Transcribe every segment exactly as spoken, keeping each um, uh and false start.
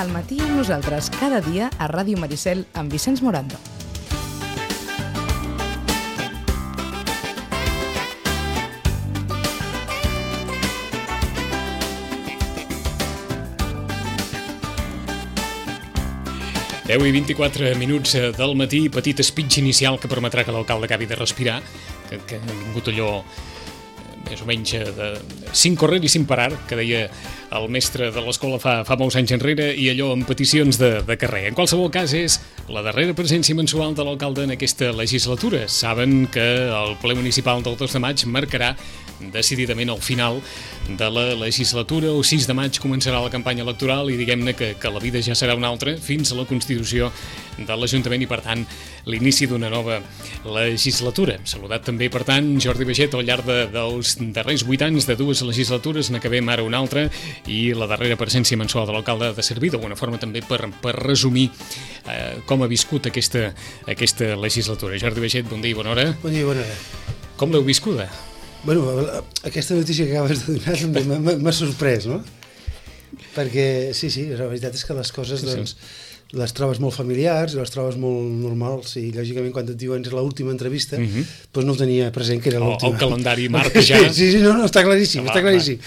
Al matí amb nosaltres cada dia a Ràdio Maricel amb Vicenç Morando. deu i vint-i-quatre minuts del matí, petit speech inicial que permetrà que l'alcalde acabi de respirar, que, que ha vingut allò més o menys de sin correr i sin parar, que deia el mestre de l'escola fa, fa molts anys enrere, i allò amb peticions de, de carrer. En qualsevol cas, és la darrera presència mensual de l'alcalde en aquesta legislatura. Saben que el ple municipal del dos de maig marcarà decididament el final de la legislatura. El sis de maig començarà la campanya electoral i diguem-ne que, que la vida ja serà una altra fins a la constitució de l'Ajuntament i, per tant, l'inici d'una nova legislatura. Hem saludat també, per tant, Jordi Baiget al llarg de, dels darrers vuit anys de dues legislatures, n'acabem ara una altra, i la darrera presència mensual de l'alcalde ha de servir d'alguna forma també per, per resumir eh, com ha viscut aquesta, aquesta legislatura. Jordi Baiget, bon dia i bona hora. Bon dia i bona hora. Com l'heu viscuda? Bueno, aquesta notícia que acabes de donar m'ha sorprès, no? Perquè, sí, sí, la veritat és que les coses, doncs, les trobes molt familiars, les trobes molt normals, i lògicament quan et diuen és l'última entrevista, uh-huh. doncs no ho tenia present que era l'última. El calendari marca ja. Sí, sí, no, no, està claríssim, ah, està claríssim.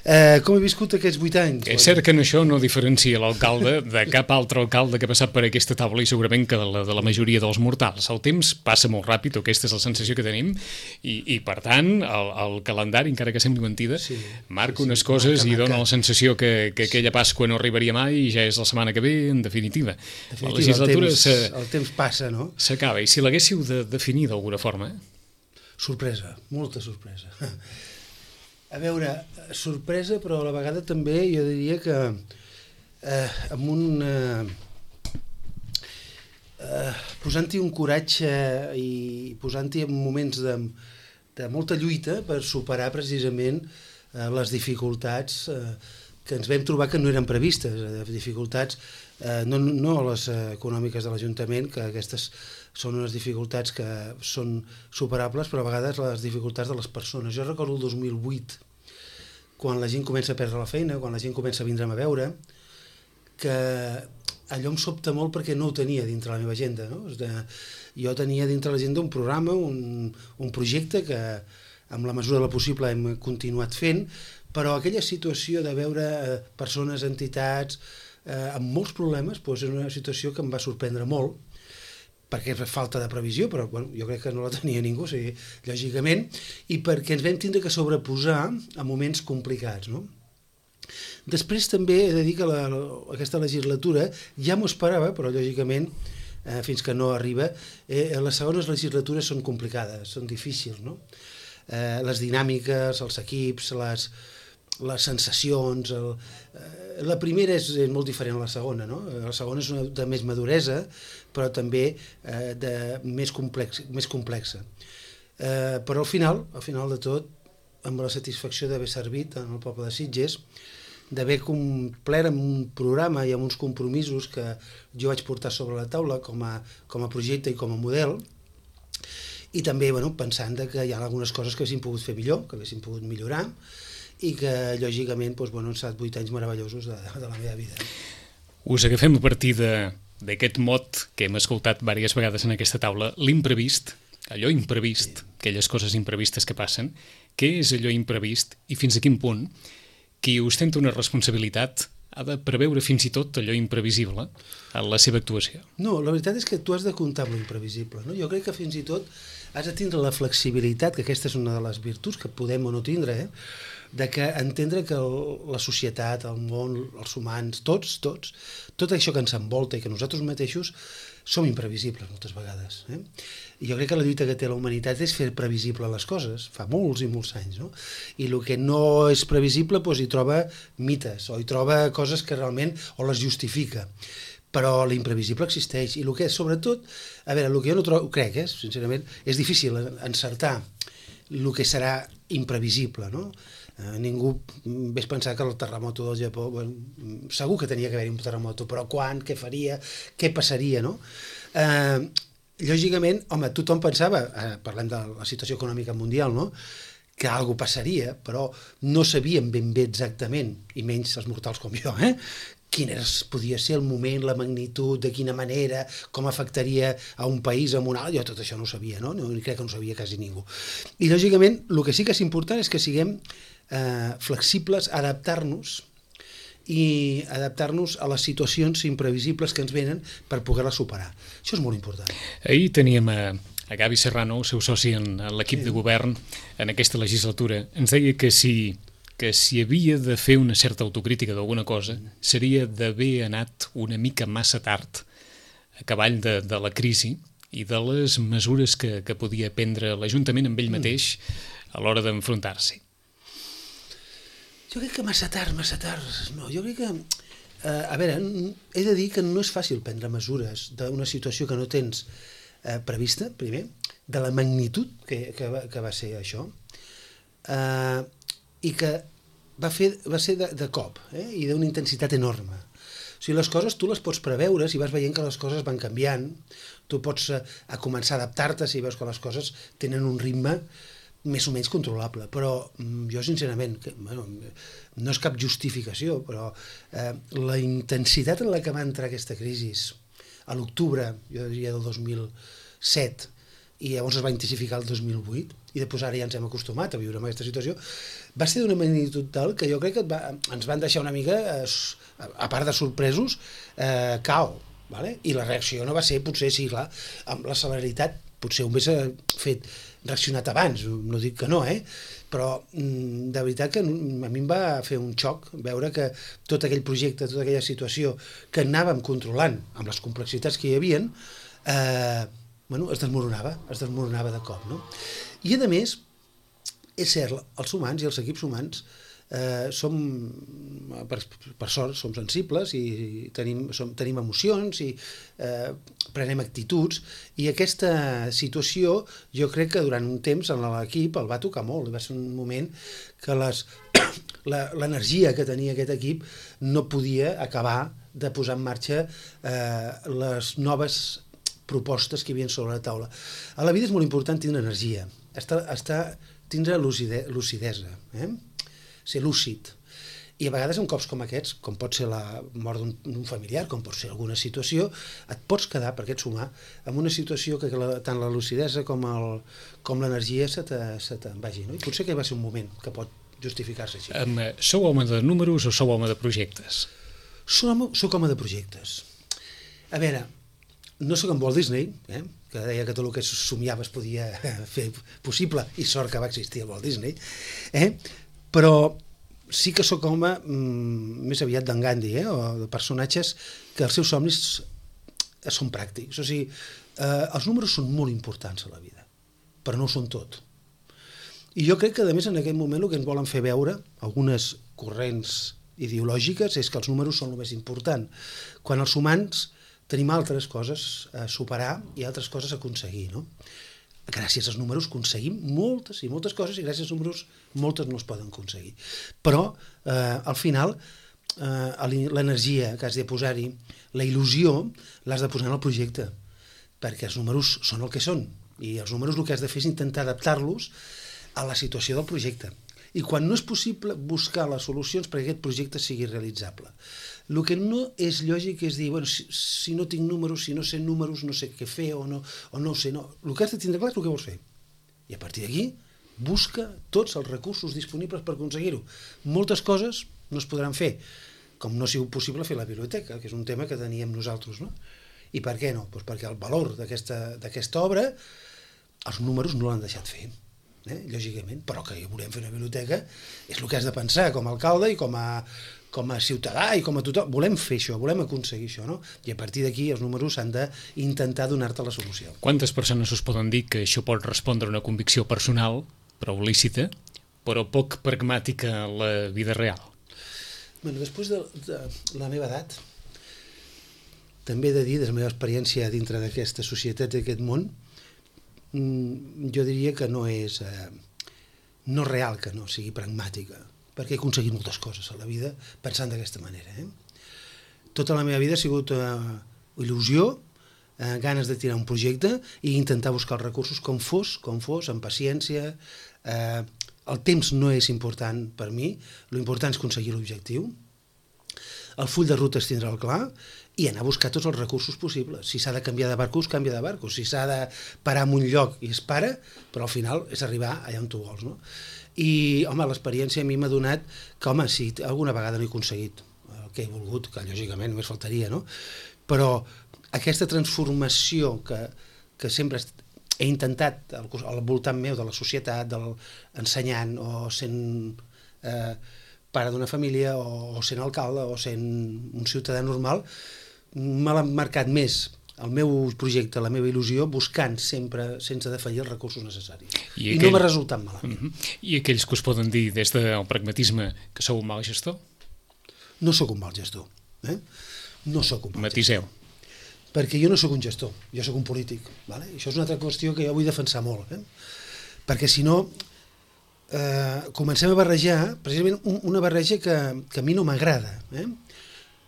Eh, com he viscut aquests vuit anys? És cert que en això no diferencia l'alcalde de cap altre alcalde que ha passat per aquesta taula i segurament que de la, de la majoria dels mortals. El temps passa molt ràpid, o aquesta és la sensació que tenim, i, i per tant el, el calendari, encara que sembli mentida, sí, marca sí, unes sí, coses marca, i dona marca. La sensació que, que aquella Pasqua no arribaria mai i ja és la setmana que ve, en definitiva. definitiva la legislatura el temps, el temps passa, no? S'acaba, i si l'haguéssiu de definir d'alguna forma? Sorpresa, molta sorpresa. A veure, sorpresa, però a la vegada també jo diria que eh, amb un... Eh, eh, posant-hi un coratge i posant-hi en moments de, de molta lluita per superar precisament eh, les dificultats eh, que ens vam trobar que no eren previstes, eh, dificultats eh, no, no les econòmiques de l'Ajuntament, que aquestes són unes dificultats que són superables, però a vegades les dificultats de les persones. Jo recordo el dos mil vuit, quan la gent comença a perdre la feina, quan la gent comença a vindre'm a veure, que allò em sobta molt perquè no ho tenia dintre la meva agenda, no? Jo tenia dintre l'agenda un programa, un, un projecte que amb la mesura del possible hem continuat fent, però aquella situació de veure eh, persones, entitats, eh, amb molts problemes, doncs és una situació que em va sorprendre molt, perquè és falta de previsió, però bueno, jo crec que no la tenia ningú, o sigui, lògicament, i perquè ens vam tindre que sobreposar a moments complicats, no? Després també he de dir que la, aquesta legislatura ja m'ho esperava, però lògicament, eh, fins que no arriba, eh, les segones legislatures són complicades, són difícils, no? Eh, les dinàmiques, els equips, les... les sensacions, el, eh, la primera és, és molt diferent a la segona, no? La segona és una de més maduresa, però també eh, de més, complex, més complexa. Eh, però al final, al final de tot, amb la satisfacció d'haver servit en el poble de Sitges, d'haver complert amb un programa i amb uns compromisos que jo vaig portar sobre la taula com a, com a projecte i com a model, i també bueno, pensant que hi ha algunes coses que haguessin pogut fer millor, que haguessin pogut millorar, i que, lògicament, doncs, bueno, han estat vuit anys meravellosos de, de la meva vida. Us agafem a partir d'aquest mot que hem escoltat diverses vegades en aquesta taula, l'imprevist, allò imprevist, sí. Aquelles coses imprevistes que passen. Què és allò imprevist i fins a quin punt qui ostenta una responsabilitat ha de preveure fins i tot allò imprevisible en la seva actuació? No, la veritat és que tu has de comptar amb l'imprevisible, no? Jo crec que fins i tot has de tindre la flexibilitat, que aquesta és una de les virtuts que podem o no tindre, eh? De que entendre que el, la societat, el món, els humans, tots, tots, tot això que ens envolta i que nosaltres mateixos som imprevisibles moltes vegades. Eh? I jo crec que la lluita que té la humanitat és fer previsible les coses, fa molts i molts anys, no? I el que no és previsible doncs, hi troba mites o hi troba coses que realment o les justifica. Però l'imprevisible existeix i el que és, sobretot, a veure, el que jo no trobo, crec, eh, sincerament, és difícil encertar el que serà imprevisible, no? Eh, ningú vés pensar que el terremoto del Japó, bueno, segur que tenia que haver-hi un terremoto, però quan, què faria, què passaria, no? Eh, lògicament, home, tothom pensava, eh, parlem de la situació econòmica mundial, no?, que alguna passaria, però no sabíem ben bé exactament, i menys els mortals com jo, eh, quin era, podia ser el moment, la magnitud, de quina manera, com afectaria a un país, a un altre, jo tot això no ho sabia, no? no crec que no ho sabia quasi ningú. I, lògicament, el que sí que és important és que siguem eh, flexibles, adaptar-nos i adaptar-nos a les situacions imprevisibles que ens venen per poder-les superar. Això és molt important. Ahir teníem a, a Gavi Serrano, el seu soci en, en l'equip sí. de govern, en aquesta legislatura. Ens deia que si, que si havia de fer una certa autocrítica d'alguna cosa, seria d'haver anat una mica massa tard a cavall de, de la crisi i de les mesures que, que podia prendre l'Ajuntament amb ell mateix a l'hora d'enfrontar-s'hi. Jo crec que massa tard, massa tard, no, jo crec que, eh, a veure, he de dir que no és fàcil prendre mesures d'una situació que no tens eh, prevista, primer, de la magnitud que, que, va, que va ser això, eh, i que va, fer, va ser de, de cop, eh, i d'una intensitat enorme. O sigui, les coses tu les pots preveure si vas veient que les coses van canviant, tu pots eh, a començar a adaptar-te si veus que les coses tenen un ritme més o menys controlable, però jo sincerament, que, bueno, no és cap justificació, però eh, la intensitat en la que va entrar aquesta crisi a l'octubre, jo diria del dos mil set, i llavors es va intensificar el dos mil vuit, i després ara ja ens hem acostumat a viure en aquesta situació, va ser d'una magnitud tal que jo crec que va, ens van deixar una mica, eh, a part de sorpresos, eh, cao, vale? I la reacció no va ser, potser sí, clar, amb la celeritat, potser ho hagués fet reaccionat abans, no dic que no, eh? Però de veritat que a mi em va fer un xoc veure que tot aquell projecte, tota aquella situació que anàvem controlant amb les complexitats que hi havia, eh, bueno, es desmoronava, es desmoronava de cop, no? I a més, és cert, els humans i els equips humans eh, som, per, per sort, som sensibles i tenim, som, tenim emocions i eh, prenem actituds, i aquesta situació jo crec que durant un temps en l'equip el va tocar molt, va ser un moment que les, l'energia que tenia aquest equip no podia acabar de posar en marxa eh, les noves propostes que hi havia sobre la taula. A la vida és molt important tindre energia, estar, estar, tindre lucide, lucidesa, eh? Ser lúcid. I a vegades en cops com aquests, com pot ser la mort d'un familiar, com pot ser alguna situació, et pots quedar, perquè ets humà, en una situació que la, tant la lucidesa com, el, com l'energia se te'n vagi. No? I potser que va ser un moment que pot justificar-se així. Um, sou home de números o sou home de projectes? Soc home, soc home de projectes. A veure, no sóc en Walt Disney, eh? que deia que tot el que somiava es podia fer possible, i sort que va existir el Walt Disney, eh? Però sí que sóc home mm, més aviat d'en Gandhi, eh? o de personatges que els seus somnis són pràctics. O sigui, eh, els números són molt importants a la vida, però no ho són tot. I jo crec que, a més, en aquest moment el que ens volen fer veure, algunes corrents ideològiques, és que els números són el més important, quan els humans tenim altres coses a superar i altres coses a aconseguir, no? Gràcies als números aconseguim moltes i moltes coses, i gràcies als números moltes no es poden aconseguir. Però, eh, al final, eh, l'energia que has de posar-hi, la il·lusió, l'has de posar en el projecte, perquè els números són el que són, i els números el que has de fer és intentar adaptar-los a la situació del projecte. I quan no és possible, buscar les solucions perquè aquest projecte sigui realitzable. El que no és lògic és dir, bueno, si, si no tinc números, si no sé números, no sé què fer o no, o no ho sé. No. El que has de tindre clar és el que vols fer. I a partir d'aquí, busca tots els recursos disponibles per aconseguir-ho. Moltes coses no es podran fer, com no sigui possible fer la biblioteca, que és un tema que teníem nosaltres, no? I per què no? Pues perquè el valor d'aquesta d'aquesta obra, els números no l'han deixat fer. Eh? Lògicament, però que volem fer una biblioteca és el que has de pensar com a alcalde i com a, com a ciutadà i com a tothom. Volem fer això, volem aconseguir això, no? I a partir d'aquí els números han d'intentar donar-te la solució. Quantes persones us poden dir que això pot respondre a una convicció personal, prou lícita, però poc pragmàtica a la vida real? Bueno, després de, de la meva edat, també he de dir, de la meva experiència dintre d'aquesta societat, d'aquest món, jo diria que no és eh, no real que no sigui pragmàtica, perquè he aconseguit moltes coses a la vida pensant d'aquesta manera. Eh? Tota la meva vida ha sigut eh, il·lusió, eh, ganes de tirar un projecte i intentar buscar els recursos com fos, com fos, amb paciència. Eh, el temps no és important per mi, l'important és aconseguir l'objectiu. el full de ruta és tindre'l clar i anar a buscar tots els recursos possibles. Si s'ha de canviar de barcos, canvia de barcos. Si s'ha de parar en un lloc i es para, però al final és arribar allà on tu vols, no? I, home, l'experiència a mi m'ha donat que, home, sí, alguna vegada no he aconseguit el que he volgut, que lògicament només faltaria, no? Però aquesta transformació que, que sempre he intentat al, al voltant meu de la societat, del ensenyant o sent eh, pare d'una família o, o sent alcalde o sent un ciutadà normal, me l'ha marcat més el meu projecte, la meva il·lusió, buscant sempre, sense defallir, els recursos necessaris. I, aquell... I no m'ha resultat malament. Uh -huh. I aquells que us poden dir des del pragmatisme que sou un mal gestor? No sóc un mal gestor. Eh? No sóc un mal Matiseu. gestor. Perquè jo no sóc un gestor, jo sóc un polític. Vale? Això és una altra qüestió que jo vull defensar molt. Eh? Perquè si no, eh, comencem a barrejar, precisament una barreja que, que a mi no m'agrada. Eh?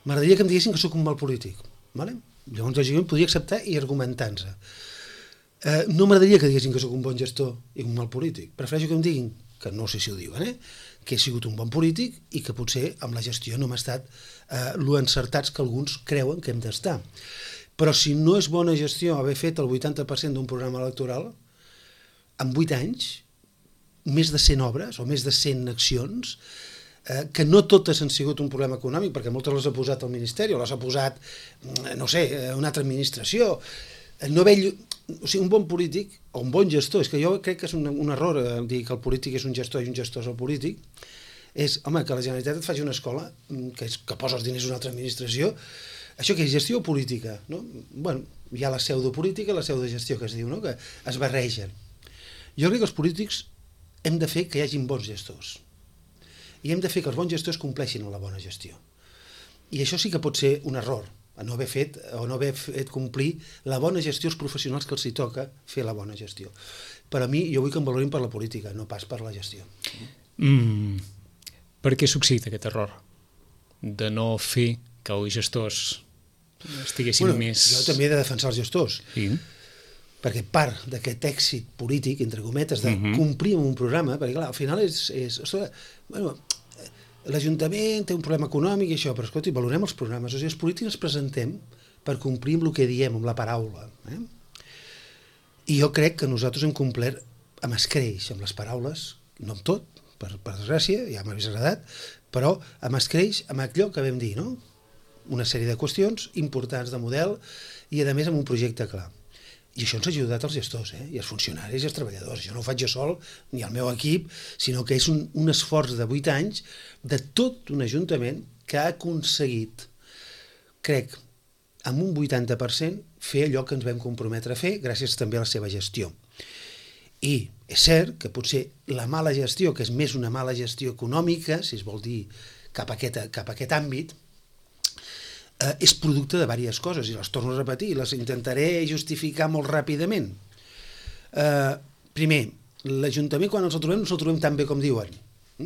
M'agradaria que em diguessin que sóc un mal polític. Vale? Llavors, lògicament, podria acceptar i argumentar-se. Eh, no m'agradaria que diguessin que sóc un bon gestor i un mal polític. Prefereixo que em diguin, que no sé si ho diuen, eh? que he sigut un bon polític i que potser amb la gestió no hem estat eh, lo encertats que alguns creuen que hem d'estar. Però si no és bona gestió haver fet el vuitanta per cent d'un programa electoral, en vuit anys, més de cent obres o més de cent accions, eh, que no totes han sigut un problema econòmic, perquè moltes les ha posat el Ministeri o les ha posat, no sé, una altra administració. No haver, o sigui, un bon polític o un bon gestor, és que jo crec que és un, un error eh, dir que el polític és un gestor i un gestor és el polític, és, home, que la Generalitat et faci una escola que, és, que posa els diners a una altra administració. Això que és gestió o política, no? Bueno, hi ha la pseudopolítica i la pseudogestió que es diu, no? Que es barregen. Jo crec que els polítics hem de fer que hi hagin bons gestors i hem de fer que els bons gestors compleixin en la bona gestió. I això sí que pot ser un error, a no haver fet o no haver fet complir la bona gestió als professionals que els hi toca fer la bona gestió. Per a mi, jo vull que em valorin per la política, no pas per la gestió. Mm, per què succeït aquest error? De no fer que els gestors estiguessin bueno, més... Jo també he de defensar els gestors. Sí. Perquè part d'aquest èxit polític, entre cometes, de Uh-huh. complir amb un programa, perquè clar, al final és... és ostres, bueno, l'Ajuntament té un problema econòmic i això, però escolti, valorem els programes. O sigui, els polítics ens presentem per complir amb el que diem, amb la paraula. Eh? I jo crec que nosaltres hem complert amb escreix, amb les paraules, no amb tot, per, per desgràcia, ja m'hagués agradat, però amb escreix, amb allò que vam dir, no? Una sèrie de qüestions importants de model i, a més, amb un projecte clar. I això ens ha ajudat als gestors, eh? I als funcionaris i als treballadors. Jo no ho faig jo sol, ni el meu equip, sinó que és un, un esforç de vuit anys de tot un ajuntament que ha aconseguit, crec, amb un vuitanta per cent, fer allò que ens vam comprometre a fer, gràcies també a la seva gestió. I és cert que potser la mala gestió, que és més una mala gestió econòmica, si es vol dir cap a aquest, cap a aquest àmbit, eh, és producte de diverses coses, i les torno a repetir, les intentaré justificar molt ràpidament. Eh, primer, l'Ajuntament, quan ens el trobem, no ens el trobem tan bé com diuen.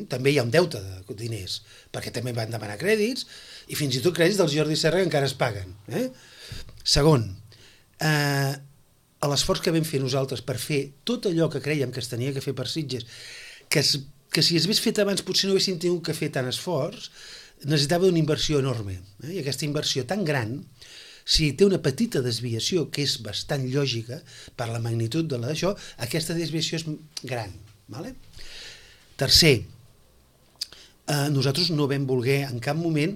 També hi ha un deute de diners, perquè també van demanar crèdits, i fins i tot crèdits del Jordi Serra que encara es paguen. Eh? Segon, eh, l'esforç que vam fer nosaltres per fer tot allò que creiem que es tenia que fer per Sitges, que, es, que si es hagués fet abans potser no haguéssim tingut que fer tant esforç, necessitava una inversió enorme. Eh? I aquesta inversió tan gran, si té una petita desviació, que és bastant lògica per la magnitud de la d'això, aquesta desviació és gran. Vale? Tercer, eh, nosaltres no vam voler en cap moment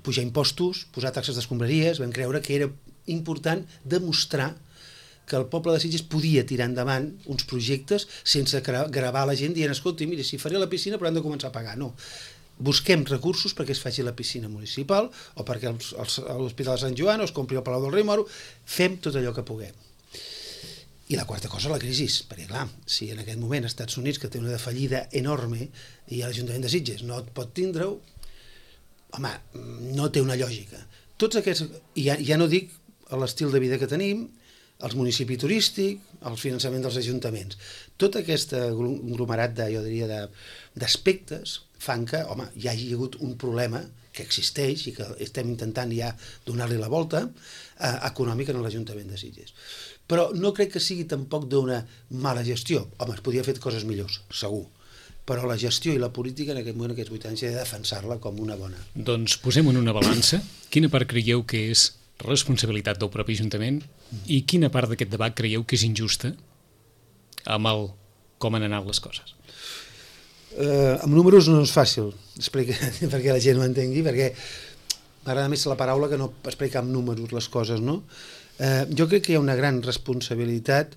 pujar impostos, posar taxes d'escombraries, vam creure que era important demostrar que el poble de Sitges podia tirar endavant uns projectes sense gravar la gent dient, escolti, mira, si faré la piscina però hem de començar a pagar. No. Busquem recursos perquè es faci la piscina municipal o perquè l'Hospital de Sant Joan o es compri el Palau del Rei Moro. Fem tot allò que puguem. I la quarta cosa, la crisi, perquè clar, si en aquest moment als Estats Units, que té una fallida enorme, i l'Ajuntament de Sitges no et pot tindre-ho, home, no té una lògica. Tots aquests, i ja, ja no dic l'estil de vida que tenim, el municipi turístic, el finançament dels ajuntaments. Tot aquest aglomerat de, jo diria, d'aspectes fan que, home, hi hagi hagut un problema que existeix i que estem intentant ja donar-li la volta eh, econòmica en l'Ajuntament de Sitges. Però no crec que sigui tampoc d'una mala gestió. Home, es podia haver fet coses millors, segur. però la gestió i la política en aquest moment, aquests vuit anys, he de defensar-la com una bona. Doncs posem en una balança. Quina part creieu que és responsabilitat del propi Ajuntament i quina part d'aquest debat creieu que és injusta amb el com han anat les coses? Eh, amb números no és fàcil explicar perquè la gent ho entengui, perquè m'agrada més la paraula que no explicar amb números les coses, no? Eh, jo crec que hi ha una gran responsabilitat,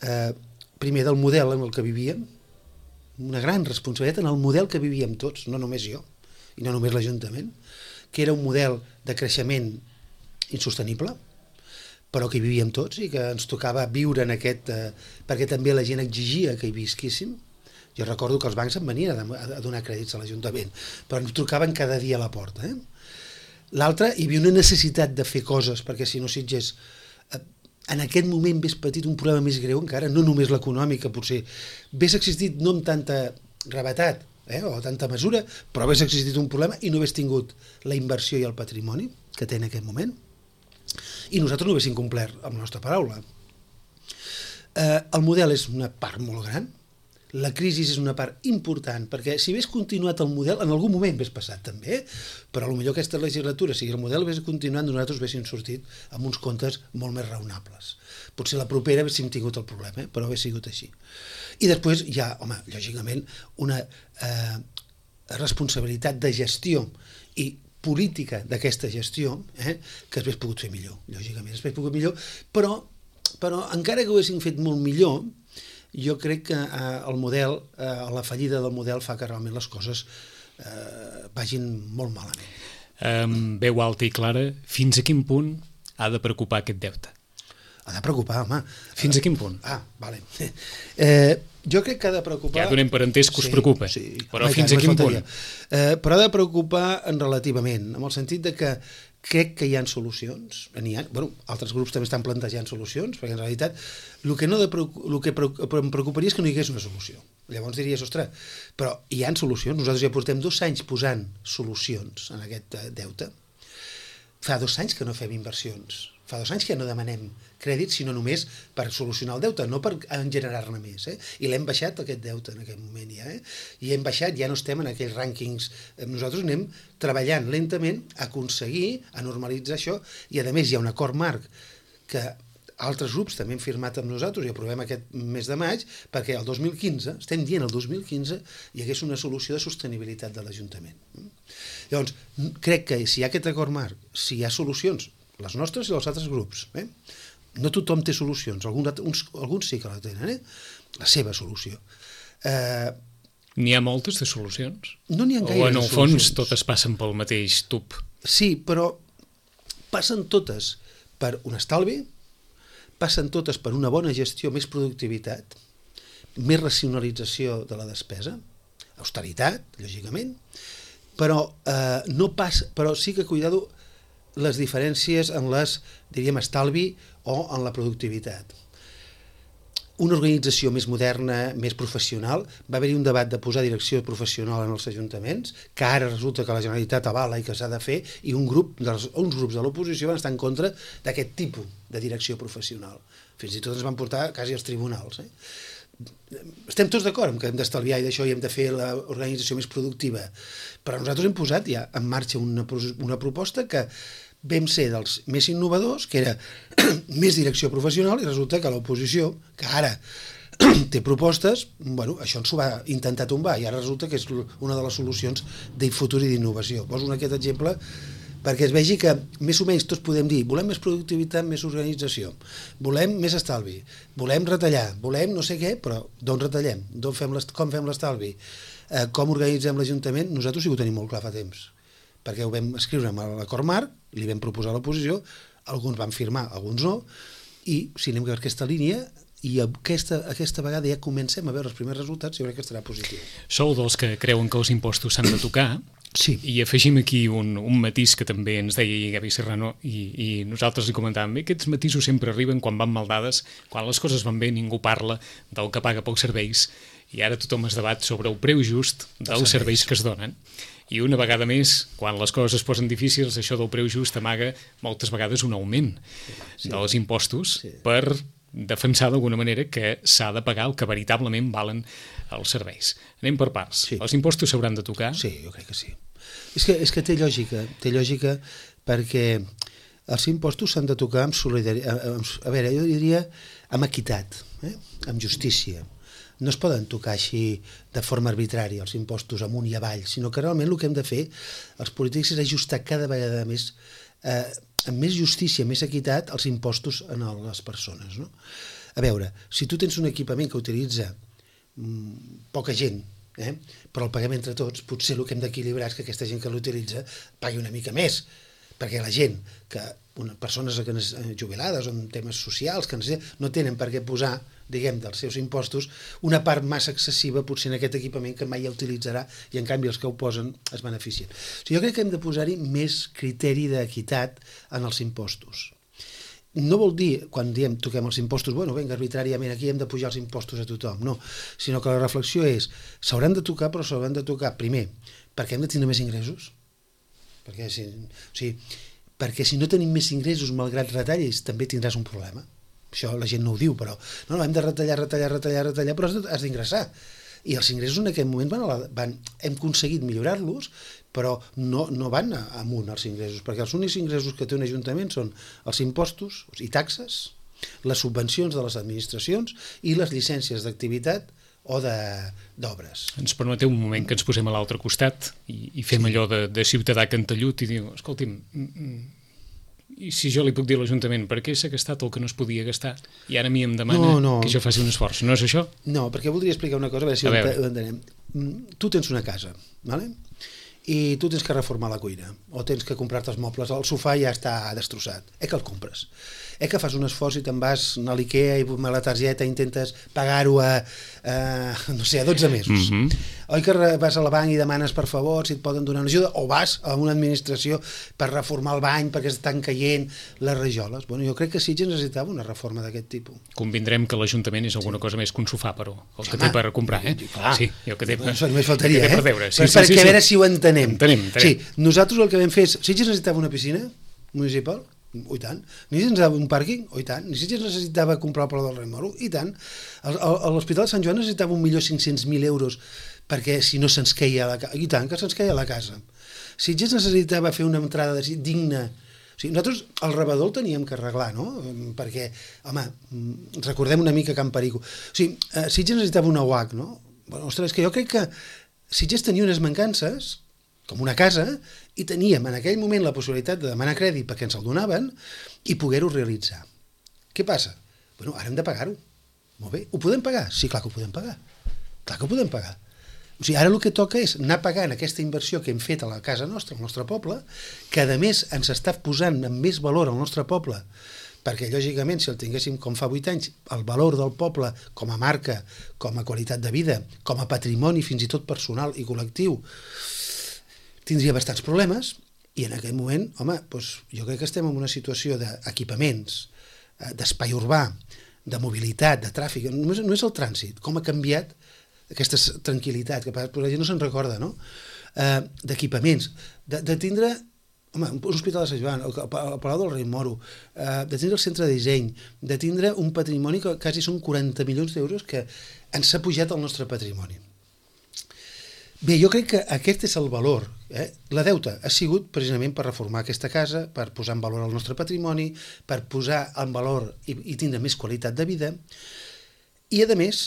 eh, primer del model en el que vivíem, una gran responsabilitat en el model que vivíem tots, no només jo, i no només l'Ajuntament, que era un model de creixement insostenible, però que hi vivíem tots i que ens tocava viure en aquest... Eh, perquè també la gent exigia que hi visquíssim. Jo recordo que els bancs em venien a, a donar crèdits a l'Ajuntament, però ens trucaven cada dia a la porta. Eh? L'altre, hi havia una necessitat de fer coses, perquè si no Sitges, eh, en aquest moment hagués patit un problema més greu encara, no només l'econòmic, que potser hagués existit no amb tanta gravetat, eh, o tanta mesura, però hagués existit un problema i no hagués tingut la inversió i el patrimoni que té en aquest moment, i nosaltres no haguéssim complert amb la nostra paraula. Eh, el model és una part molt gran, la crisi és una part important, perquè si hagués continuat el model, en algun moment hagués passat també, però potser aquesta legislatura, si el model hagués continuat, nosaltres haguéssim sortit amb uns comptes molt més raonables. Potser la propera haguéssim tingut el problema, eh? Però hagués sigut així. I després hi ha, home, lògicament, una eh, responsabilitat de gestió i política d'aquesta gestió, eh, que hagués pogut fer millor, lògicament, hagués pogut millor, però, però encara que ho haguéssim fet molt millor, jo crec que eh, el model, eh, la fallida del model fa que realment les coses eh, vagin molt malament. Um, veu alta i clara, fins a quin punt ha de preocupar aquest deute? Ha de preocupar, home. Fins a quin punt? Ah, vale. Eh, jo crec que ha de preocupar... Ja donem per entès que us sí, preocupa, sí, però home, fins a quin punt? Eh, però ha de preocupar en relativament, en el sentit de que crec que hi ha solucions, n'hi ha, bueno, altres grups també estan plantejant solucions, perquè en realitat el que, no de, el que em preocuparia és que no hi hagués una solució. Llavors diries, ostres, però hi ha solucions, nosaltres ja portem dos anys posant solucions en aquest deute. Fa dos anys que no fem inversions, fa dos anys que no demanem crèdit, sinó només per solucionar el deute, no per generar-ne més. Eh? I l'hem baixat, aquest deute, en aquest moment ja. Eh? I hem baixat, ja no estem en aquells rànquings. Nosaltres anem treballant lentament a aconseguir, a normalitzar això, i a més hi ha un acord marc que altres grups també han firmat amb nosaltres i aprovem aquest mes de maig, perquè el dos mil quinze, estem dient el dos mil quinze, hi hagués una solució de sostenibilitat de l'Ajuntament. Llavors, crec que si hi ha aquest acord marc, si hi ha solucions, les nostres i els altres grups, eh? No tothom té solucions, alguns, uns, alguns sí que la tenen, eh? La seva solució. Eh, N'hi ha moltes de solucions? No n'hi ha gaire. O en el fons totes passen pel mateix tub? Sí, però passen totes per un estalvi, passen totes per una bona gestió, més productivitat, més racionalització de la despesa, austeritat, lògicament, però, eh, no pas, però sí que, cuidado, les diferències en les, diríem, estalvi o en la productivitat. Una organització més moderna, més professional, va haver-hi un debat de posar direcció professional en els ajuntaments, que ara resulta que la Generalitat avala i que s'ha de fer, i un grup dels, uns grups de l'oposició van estar en contra d'aquest tipus de direcció professional. Fins i tot ens van portar quasi als tribunals. Eh? Estem tots d'acord que hem d'estalviar i d'això i hem de fer l'organització més productiva, però nosaltres hem posat ja en marxa una, una proposta que vam ser dels més innovadors, que era més direcció professional, i resulta que l'oposició, que ara té propostes, bueno, això ens ho va intentar tombar i ara resulta que és una de les solucions de futur i d'innovació. Poso aquest exemple perquè es vegi que més o menys tots podem dir volem més productivitat, més organització, volem més estalvi, volem retallar, volem no sé què, però d'on retallem, d'on fem com fem l'estalvi, eh, com organitzem l'Ajuntament, nosaltres sí que ho tenim molt clar fa temps, perquè ho vam escriure amb l'acord marc, li vam proposar a l'oposició, alguns van firmar, alguns no, i si anem per aquesta línia, i aquesta, aquesta vegada ja comencem a veure els primers resultats i jo crec que estarà positiu. Sou dels que creuen que els impostos s'han de tocar, sí. I afegim aquí un, un matís que també ens deia Gavi Serrano i, i nosaltres li comentàvem, bé, aquests matisos sempre arriben quan van mal dades, quan les coses van bé ningú parla del que paga pels serveis i ara tothom es debat sobre el preu just dels serveis que es donen. I una vegada més, quan les coses es posen difícils, això del preu just amaga moltes vegades un augment sí. dels impostos sí. per defensar d'alguna manera que s'ha de pagar el que veritablement valen els serveis. Anem per parts. Sí. Els impostos s'hauran de tocar? Sí, jo crec que sí. És que, és que té lògica, té lògica perquè els impostos s'han de tocar amb solidaritat, a veure, jo diria amb equitat, eh? Amb justícia. No es poden tocar així de forma arbitrària els impostos amunt i avall, sinó que realment el que hem de fer els polítics és ajustar cada vegada més, eh, amb més justícia, més equitat, els impostos a les persones. No? A veure, si tu tens un equipament que utilitza mm, poca gent, eh, però el paguem entre tots, potser el que hem d'equilibrar és que aquesta gent que l'utilitza pagui una mica més, perquè la gent, que una, persones que jubilades o en temes socials que no tenen per què posar, diguem, dels seus impostos, una part massa excessiva potser en aquest equipament que mai ja utilitzarà i en canvi els que ho posen es beneficien. O sigui, jo crec que hem de posar-hi més criteri d'equitat en els impostos. No vol dir, quan diem toquem els impostos, bueno, vinga, arbitràriament aquí hem de pujar els impostos a tothom, no, sinó que la reflexió és, s'hauran de tocar, però s'hauran de tocar, primer, perquè hem de tenir més ingressos, perquè si, o sigui, perquè si no tenim més ingressos malgrat retallis també tindràs un problema. Això la gent no ho diu, però no, no, hem de retallar, retallar, retallar, retallar, però has d'ingressar. I els ingressos en aquest moment van, a la, van hem aconseguit millorar-los, però no, no van amunt els ingressos, perquè els únics ingressos que té un ajuntament són els impostos i taxes, les subvencions de les administracions i les llicències d'activitat o d'obres. Ens permeteu un moment que ens posem a l'altre costat i, i fem sí. allò de, de ciutadà cantellut i diu, escolti'm, i si jo li puc dir a l'Ajuntament per què s'ha gastat el que no es podia gastar i ara a mi em demana no, no. que jo faci un esforç, no és això? No, perquè voldria explicar una cosa, a veure si a ho entenem. Tu tens una casa, ¿vale? I tu tens que reformar la cuina o tens que comprar-te els mobles, el sofà ja està destrossat, eh que el compres, eh que fas un esforç i te'n vas a l'Ikea i amb la targeta intentes pagar-ho a, a, no sé, a dotze mesos. Mm-hmm. Oi que vas a la banc i demanes per favor si et poden donar una ajuda, o vas a una administració per reformar el bany perquè estan caient les rajoles. Bueno, jo crec que Sitges necessitava una reforma d'aquest tipus. Convindrem que l'Ajuntament és alguna sí. cosa més que un sofà, però el que Home, té per comprar, eh? Clar, sí, jo que té per, això només faltaria, que té eh? per veure. Sí, per, sí, perquè sí, sí. a veure si ho entenem. Entenem, entenem. Sí, nosaltres el que vam fer és, Sitges necessitava una piscina municipal? Oh, i tant. Ni Sitges necessitava un pàrquing? Oh, i tant. Ni Sitges necessitava comprar el Palau del Rei Moro? I tant. L'Hospital de Sant Joan necessitava un milió cinc-cents mil euros perquè si no se'ns queia la casa. I tant, que se'ns queia la casa. Sitges necessitava fer una entrada digna. O sigui, nosaltres el rebedor el teníem que arreglar, no? Perquè, home, recordem una mica Can Perico. O sigui, Sitges necessitava una U A C, no? Bueno, ostres, és que jo crec que Sitges tenia unes mancances com una casa, i teníem en aquell moment la possibilitat de demanar crèdit perquè ens el donaven i poder-ho realitzar. Què passa? Bueno, ara hem de pagar-ho. Molt bé, ho podem pagar? Sí, clar que ho podem pagar. Clar que ho podem pagar. O sigui, ara el que toca és anar pagant aquesta inversió que hem fet a la casa nostra, al nostre poble, que a més ens està posant amb més valor al nostre poble, perquè lògicament si el tinguéssim com fa vuit anys, el valor del poble com a marca, com a qualitat de vida, com a patrimoni fins i tot personal i col·lectiu, tindria bastants problemes i en aquell moment, home, doncs jo crec que estem en una situació d'equipaments, d'espai urbà, de mobilitat, de tràfic, no és, no és el trànsit, com ha canviat aquesta tranquil·litat, que per la gent no se'n recorda, no? Eh, d'equipaments, de, de tindre home, un hospital de Sant Joan, el, el Palau del Rei Moro, eh, de tindre el centre de disseny, de tindre un patrimoni que quasi són quaranta milions d'euros que ens ha pujat el nostre patrimoni. Bé, jo crec que aquest és el valor. Eh? La deuta ha sigut precisament per reformar aquesta casa, per posar en valor el nostre patrimoni, per posar en valor i, i tindre més qualitat de vida. I, a més,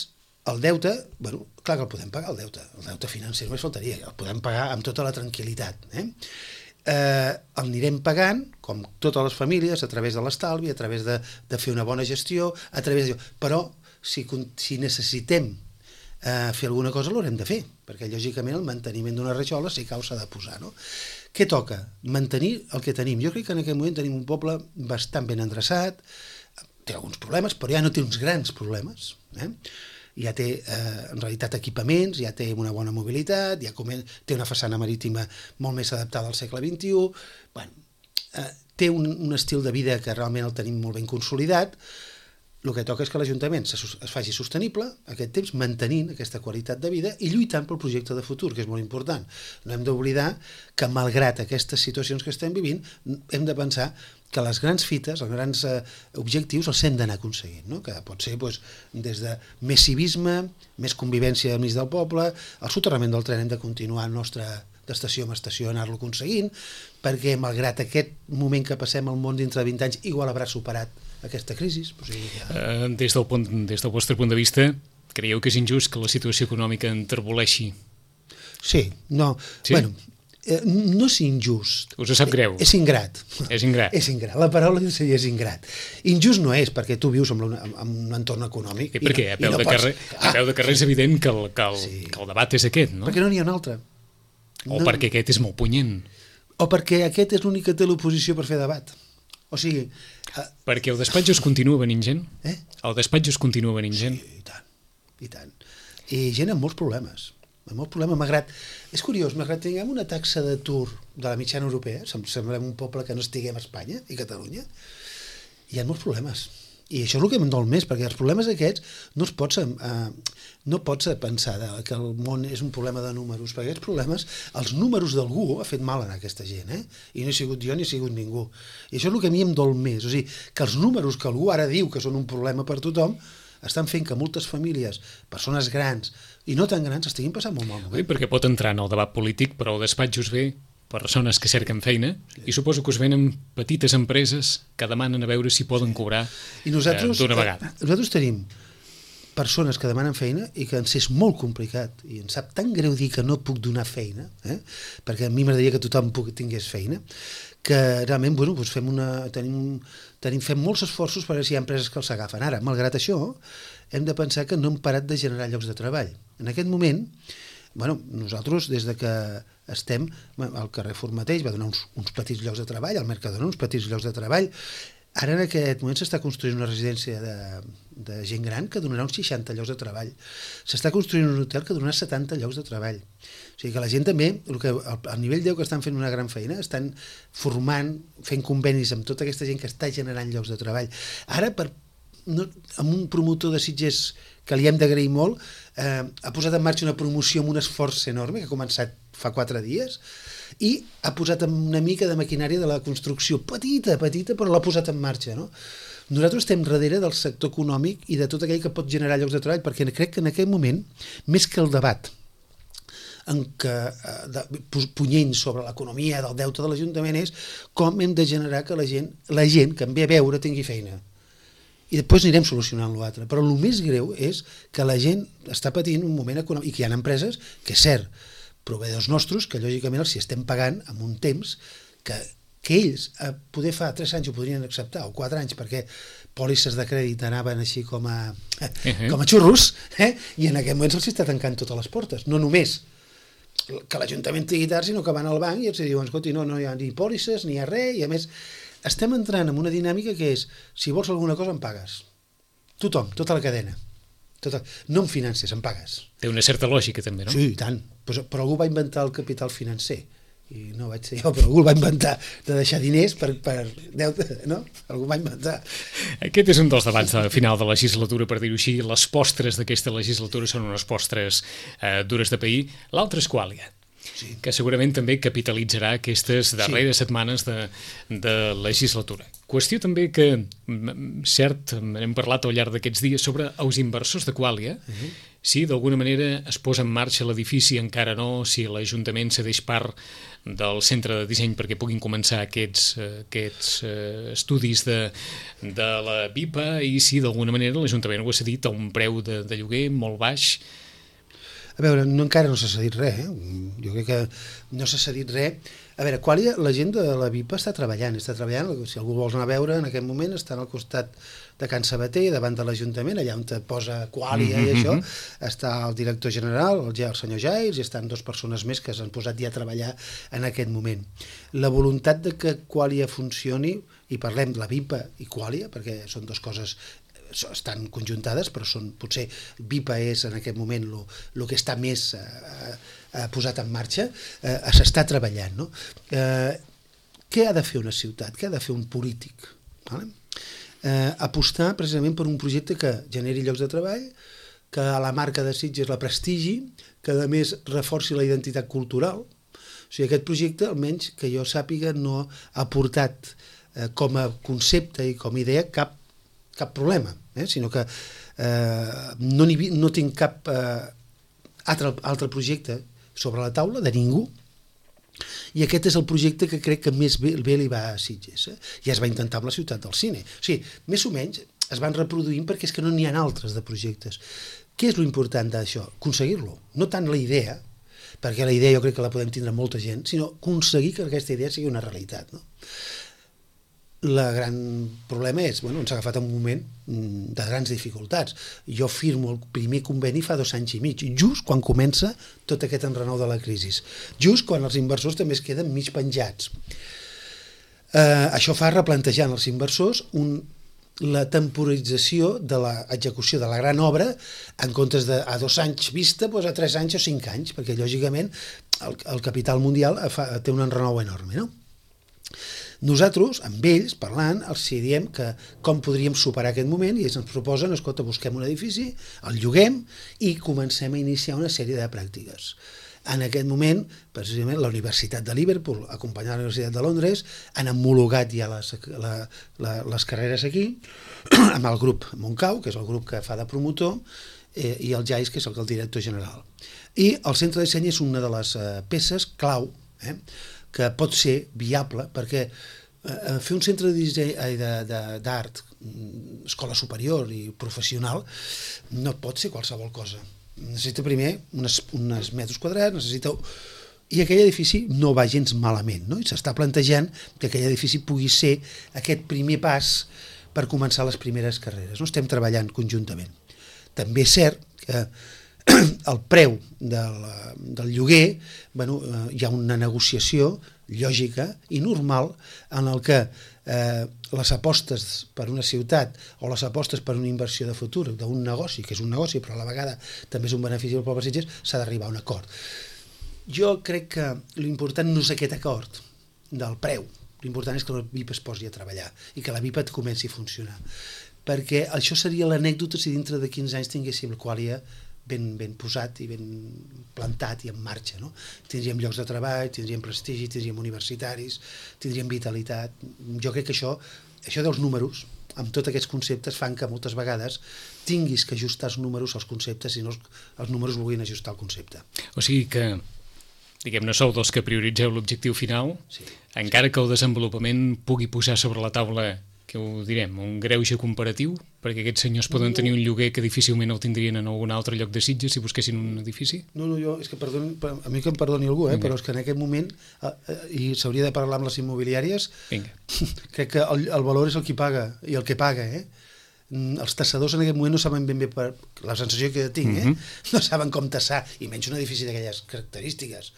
el deute, bueno, clar que el podem pagar, el deute. El deute financer només faltaria, el podem pagar amb tota la tranquil·litat. Eh? Eh, el anirem pagant, com totes les famílies, a través de l'estalvi, a través de, de fer una bona gestió, a través de... Però, si, si necessitem Uh, fer alguna cosa l'haurem de fer, perquè lògicament el manteniment d'una rajola sí que s'ha de posar, no? Què toca? Mantenir el que tenim. Jo crec que en aquest moment tenim un poble bastant ben endreçat, té alguns problemes, però ja no té uns grans problemes, eh? Ja té eh, en realitat equipaments, ja té una bona mobilitat, ja té una façana marítima molt més adaptada al segle vint-i-u, bueno, eh, té un, un estil de vida que realment el tenim molt ben consolidat. El que toca és que l'Ajuntament es faci sostenible aquest temps, mantenint aquesta qualitat de vida i lluitant pel projecte de futur, que és molt important. No hem d'oblidar que, malgrat aquestes situacions que estem vivint, hem de pensar que les grans fites, els grans eh, objectius els hem d'anar aconseguint, no? Que pot ser doncs, des de més civisme, més convivència enmig del poble, el soterrament del tren hem de continuar el nostre d'estació en estació anar-lo aconseguint, perquè malgrat aquest moment que passem al món dintre de vint anys, igual haurà superat aquesta crisi. O sigui, ja... uh, des, del punt, des del vostre punt de vista, creieu que és injust que la situació econòmica enterboleixi? Sí, no. Sí? Bueno, eh, no és injust. Us ho sap greu? És ingrat. És ingrat. És ingrat. La paraula seria és ingrat. Injust no és, perquè tu vius en un, en un entorn econòmic. I per què? A peu, no de, pots... carrer, a peu de carrer és evident que el, que el, sí. que el debat és aquest, no? Perquè no n'hi ha un altre. O no... perquè aquest és molt punyent. O perquè aquest és l'únic que té l'oposició per fer debat. O sigui... Uh... Perquè el despatx es continua venint gent? Eh? El despatx es continua venint gent? Sí, i tant, i tant. I gent amb molts problemes. Amb molts problemes, malgrat... És curiós, malgrat tinguem una taxa d'atur de la mitjana europea, semblem un poble que no estiguem a Espanya i Catalunya, hi ha molts problemes. I això és el que em dol més, perquè els problemes aquests no es pots, eh, no pots pensar de, que el món és un problema de números, perquè aquests problemes, els números d'algú ha fet mal a aquesta gent, eh? I no he sigut jo ni he sigut ningú. I això és el que a mi em dol més, o sigui, que els números que algú ara diu que són un problema per tothom, estan fent que moltes famílies, persones grans i no tan grans, estiguin passant molt mal. Sí, perquè pot entrar en el debat polític, però el despatx us ve persones que cerquen feina, sí. I suposo que us venen petites empreses que demanen a veure si poden cobrar I nosaltres, eh, d'una vegada. Eh, nosaltres tenim persones que demanen feina i que ens és molt complicat i ens sap tan greu dir que no puc donar feina, eh? Perquè a mi m'agradaria que tothom puc, tingués feina, que realment bueno, doncs fem, una, tenim, tenim, fem molts esforços per veure si hi ha empreses que els agafen. Ara, malgrat això, hem de pensar que no hem parat de generar llocs de treball. En aquest moment, bueno, nosaltres, des de que estem al carrer Formateix, va donar uns, uns petits llocs de treball, al Mercadona uns petits llocs de treball. Ara en aquest moment s'està construint una residència de, de gent gran que donarà uns seixanta llocs de treball. S'està construint un hotel que donarà setanta llocs de treball. O sigui que la gent també, el que, al nivell deu que estan fent una gran feina, estan formant, fent convenis amb tota aquesta gent que està generant llocs de treball. Ara, per, no, amb un promotor de Sitges que li hem d'agrair molt, eh, ha posat en marxa una promoció amb un esforç enorme que ha començat fa quatre dies i ha posat una mica de maquinària de la construcció, petita, petita, però l'ha posat en marxa, no? Nosaltres estem darrere del sector econòmic i de tot aquell que pot generar llocs de treball, perquè crec que en aquest moment, més que el debat en què de, punyent sobre l'economia del deute de l'Ajuntament és com hem de generar que la gent, la gent que em ve a veure tingui feina. I després anirem solucionant l'altre. Però el més greu és que la gent està patint un moment econòmic i que hi ha empreses que, és cert, proveïdors nostres, que lògicament els hi estem pagant en un temps que, que ells a poder fa tres anys ho podrien acceptar, o quatre anys, perquè pòlisses de crèdit anaven així com a, uh-huh. com a xurros, eh? I en aquest moment se'ls està tancant totes les portes. No només que l'Ajuntament tingui tard, sinó que van al banc i els diuen, escolti, no, no hi ha ni pòlisses, ni hi ha res, i a més estem entrant en una dinàmica que és, si vols alguna cosa em pagues. Tothom, tota la cadena. Tota... No em finances, em pagues. Té una certa lògica també, no? Sí, i tant. Però, però algú va inventar el capital financer. I no vaig ser jo, però algú el va inventar de deixar diners per, per deute, no? Algú va inventar. Aquest és un dels debats de final de legislatura, per dir-ho així. Les postres d'aquesta legislatura són unes postres eh, dures de pair. L'altre és Qualia. Sí. Que segurament també capitalitzarà aquestes darreres sí. setmanes de, de legislatura. Qüestió també que, cert, hem parlat al llarg d'aquests dies sobre els inversors de Qualia, uh-huh. si d'alguna manera es posa en marxa l'edifici, encara no, si l'Ajuntament cedeix part del centre de disseny perquè puguin començar aquests, aquests uh, estudis de, de la B I P A i si d'alguna manera l'Ajuntament ho ha cedit a un preu de, de lloguer molt baix. A veure, no, encara no s'ha cedit res, eh? Jo crec que no s'ha cedit res. A veure, Qualia, la gent de la B I P A està treballant, està treballant, si algú vols anar a veure, en aquest moment estan al costat de Can Sabater, davant de l'Ajuntament, allà on te posa Qualia mm-hmm. i això, està el director general, el, el senyor Jairs, i estan dues persones més que s'han posat ja a treballar en aquest moment. La voluntat de que Qualia funcioni, i parlem de la B I P A i Qualia, perquè són dues coses estan conjuntades, però són, potser B I P A és en aquest moment el que està més eh, eh, posat en marxa, eh, s'està treballant, no? Eh, què ha de fer una ciutat? Què ha de fer un polític? Vale? Eh, apostar precisament per un projecte que generi llocs de treball, que a la marca de Sitges la prestigi, que a més reforci la identitat cultural. O sigui, aquest projecte, almenys que jo sàpiga, no ha portat eh, com a concepte i com a idea cap, cap problema, eh? Sinó que eh, no, no tinc cap eh, altre, altre projecte sobre la taula de ningú, i aquest és el projecte que crec que més bé, bé li va a Sitges, eh? I es va intentar amb la ciutat del cine. O sigui, més o menys es van reproduint perquè és que no n'hi ha altres de projectes. Què és l'important d'això? Aconseguir-lo. No tant la idea, perquè la idea jo crec que la podem tindre molta gent, sinó aconseguir que aquesta idea sigui una realitat, no? El gran problema és, bueno, ens ha agafat un moment de grans dificultats. Jo firmo el primer conveni fa dos anys i mig, just quan comença tot aquest enrenou de la crisi, just quan els inversors també es queden mig penjats. Eh, això fa replantejar als inversors un, la temporització de l'execució de la gran obra en comptes de a dos anys vista, doncs a tres anys o cinc anys, perquè lògicament el, el capital mundial fa, té un enrenou enorme, no? Nosaltres, amb ells, parlant, els diem que com podríem superar aquest moment i ells ens proposen, escolta, busquem un edifici, el lloguem i comencem a iniciar una sèrie de pràctiques. En aquest moment, precisament, la Universitat de Liverpool, acompanyada de la Universitat de Londres, han homologat ja les, la, la, les carreres aquí, amb el grup Montcau, que és el grup que fa de promotor, eh, i el Jais, que és el, el director general. I el centre de disseny és una de les eh, peces clau, eh, que pot ser viable, perquè eh, fer un centre de disseny d'art, escola superior i professional, no pot ser qualsevol cosa. Necessita primer uns, uns metres quadrats, necessita... I aquell edifici no va gens malament, no? I s'està plantejant que aquell edifici pugui ser aquest primer pas per començar les primeres carreres. No? Estem treballant conjuntament. També és cert que el preu del, del lloguer, bueno, eh, hi ha una negociació lògica i normal en el que eh, les apostes per una ciutat o les apostes per una inversió de futur d'un negoci, que és un negoci però a la vegada també és un benefici del poble Sitges, s'ha d'arribar a un acord. Jo crec que l'important no és aquest acord del preu, l'important és que la V I P es posi a treballar i que la V I P et comenci a funcionar, perquè això seria l'anècdota si dintre de quinze anys tinguéssim el Qualia ben, ben posat i ben plantat i en marxa, no? Tindríem llocs de treball, tindríem prestigi, tindríem universitaris, tindríem vitalitat. Jo crec que això, això dels números, amb tots aquests conceptes, fan que moltes vegades tinguis que ajustar els números als conceptes i no els, els números vulguin ajustar el concepte. O sigui que, diguem-ne, sou dels que prioritzeu l'objectiu final, sí, encara sí. que el desenvolupament pugui posar sobre la taula, que ho direm, un greuge comparatiu, perquè aquests senyors poden no, tenir un lloguer que difícilment el tindrien en algun altre lloc de Sitges si busquessin un edifici? No, no, jo, és que perdoni, a mi que em perdoni algú, eh, però és que en aquest moment, eh, i s'hauria de parlar amb les immobiliàries, Vinga. crec que el, el valor és el qui paga, i el que paga, eh? Els tassadors en aquest moment no saben ben bé, per la sensació que tinc, eh? Mm-hmm. no saben com tassar, i menys un edifici d'aquelles característiques.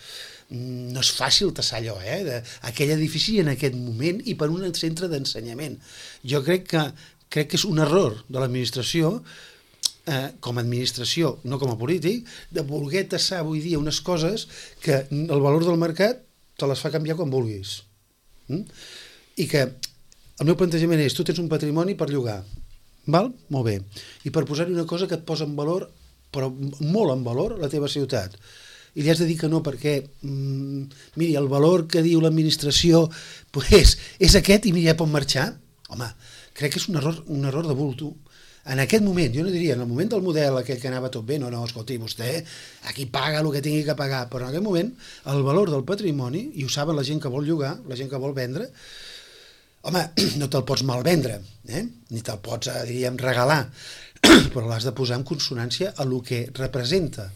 No és fàcil tassar allò, eh? De, aquell edifici en aquest moment i per un centre d'ensenyament. Jo crec que, crec que és un error de l'administració, eh, com a administració, no com a polític, de voler tassar avui dia unes coses que el valor del mercat te les fa canviar quan vulguis. Mm? I que el meu plantejament és, tu tens un patrimoni per llogar, val? Molt bé. I per posar-hi una cosa que et posa en valor, però molt en valor, la teva ciutat. I li has de dir que no perquè, mm, miri, el valor que diu l'administració pues, és aquest i mira, ja pot marxar. Home, crec que és un error, un error de bulto. En aquest moment, jo no diria, en el moment del model aquell que anava tot bé, no, no, escolti, vostè aquí paga el que tingui que pagar, però en aquest moment el valor del patrimoni, i ho saben la gent que vol llogar, la gent que vol vendre, home, no te'l pots malvendre, eh? Ni te'l pots, diríem, regalar, però l'has de posar en consonància a el que representa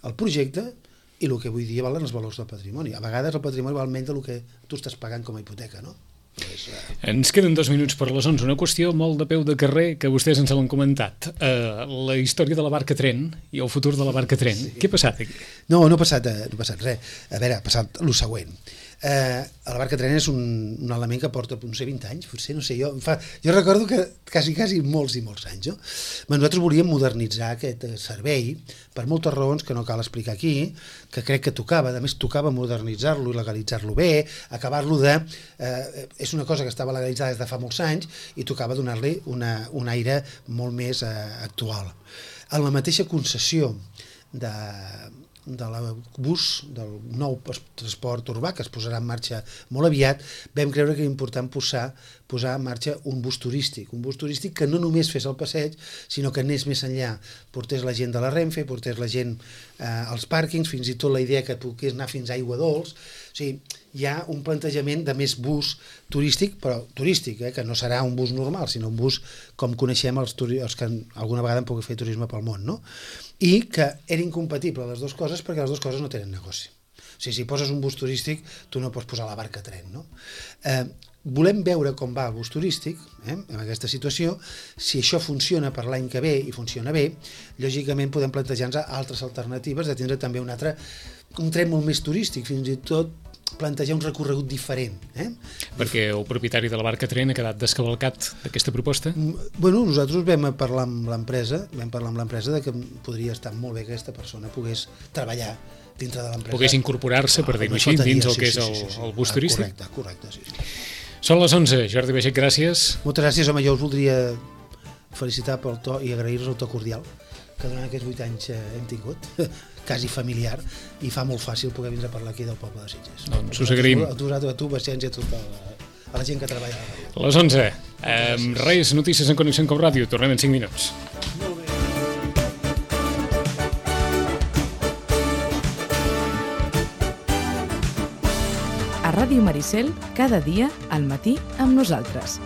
el projecte i el que avui dia valen els valors del patrimoni. A vegades el patrimoni val menys del que tu estàs pagant com a hipoteca, no? Pues, uh... Ens queden dos minuts per les onze. Una qüestió molt de peu de carrer que vostès ens l'han comentat. Uh, la història de la barca tren i el futur de la barca tren. Sí. Què ha passat aquí? No, no ha passat, no ha passat res. A veure, ha passat el següent. Eh, la barca tren és un, un element que porta, no sé, vint anys, potser, no sé, jo, fa, jo recordo que quasi, quasi molts i molts anys, no? Però nosaltres volíem modernitzar aquest servei per moltes raons que no cal explicar aquí, que crec que tocava, a més tocava modernitzar-lo i legalitzar-lo bé, acabar-lo de... Eh, és una cosa que estava legalitzada des de fa molts anys i tocava donar-li una, un aire molt més eh, actual. En la mateixa concessió de de l'abús del nou transport urbà que es posarà en marxa molt aviat, vam creure que era important posar, posar en marxa un bus turístic, un bus turístic que no només fes el passeig, sinó que anés més enllà, portés la gent de la Renfe, portés la gent eh, als pàrquings, fins i tot la idea que pogués anar fins a Aigua Dols. O sigui, hi ha un plantejament de més bus turístic, però turístic, eh, que no serà un bus normal, sinó un bus com coneixem els, els que alguna vegada han pogut fer turisme pel món, no? I que era incompatible les dues coses perquè les dues coses no tenen negoci. O sigui, si poses un bus turístic, tu no pots posar la barca a tren, no? Eh, volem veure com va el bus turístic, eh, en aquesta situació. Si això funciona per l'any que ve i funciona bé, lògicament podem plantejar-nos altres alternatives de tindre també un altre, un tren molt més turístic, fins i tot plantejar un recorregut diferent. Eh? Perquè el propietari de la barca tren ha quedat descavalcat d'aquesta proposta? Bueno, nosaltres vam parlar amb l'empresa, vam parlar amb l'empresa de que podria estar molt bé que aquesta persona pogués treballar dintre de l'empresa. Pogués incorporar-se, per dir-ho així, dins el que és el, el bus turístic? Correcte, correcte, sí, sí. Són les onze. Jordi Baget, gràcies. Moltes gràcies, home, jo us voldria felicitar pel to i agrair-vos el to cordial que durant aquests vuit anys hem tingut, quasi familiar, i fa molt fàcil poder vindre a parlar aquí del poble de Sitges. Doncs us agraïm. A tu, a tu, Paciència, a tota la, a la gent que treballa a la ràdio. Les onze. Eh, res, notícies en Connexió com Ràdio. Tornem en cinc minuts. Molt bé. A Ràdio Maricel, cada dia al matí amb nosaltres.